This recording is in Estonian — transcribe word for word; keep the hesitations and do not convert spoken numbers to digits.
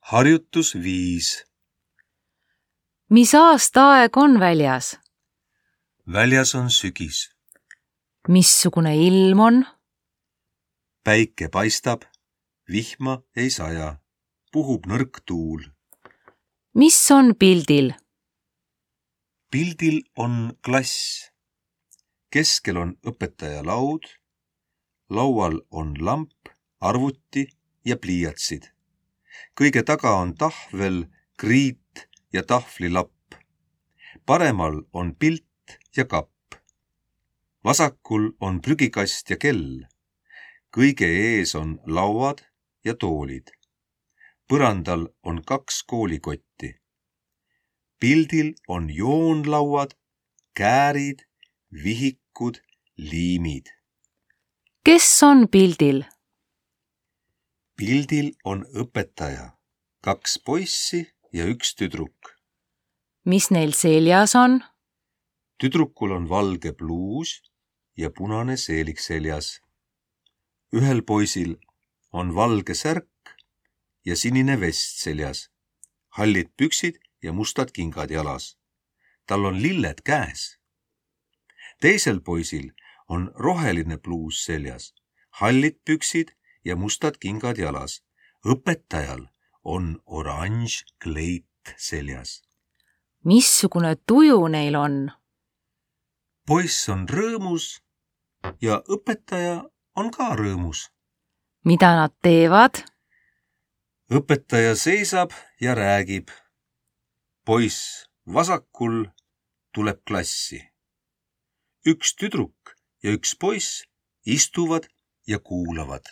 Harjutus viis. Mis aastaaeg on väljas? Väljas on sügis. Missugune ilm on? Päike paistab, vihma ei saja, puhub nõrk tuul. Mis on pildil? Pildil on klass. Keskel on õpetaja laud, laual on lamp, arvuti ja pliiatsid. Kõige taga on tahvel, kriit ja tahvlilapp. Paremal on pilt ja kapp. Vasakul on prügikast ja kell. Kõige ees on lauad ja toolid. Põrandal on kaks koolikotti. Pildil on joonlauad, käärid, vihikud, liimid. Kes on pildil? Pildil on õpetaja, kaks poissi ja üks tüdruk. Mis neil seljas on? Tüdrukul on valge pluus ja punane seelik seljas. Ühel poisil on valge särk ja sinine vest seljas, hallid püksid ja mustad kingad jalas. Tal on lilled käes. Teisel poisil on roheline pluus seljas, hallid püksid ja mustad kingad jalas. Õpetajal on oranž kleit seljas. Missugune tuju neil on? Poiss on rõõmus ja õpetaja on ka rõõmus. Mida nad teevad? Õpetaja seisab ja räägib. Poiss vasakul tuleb klassi. Üks tüdruk ja üks poiss istuvad ja kuulavad.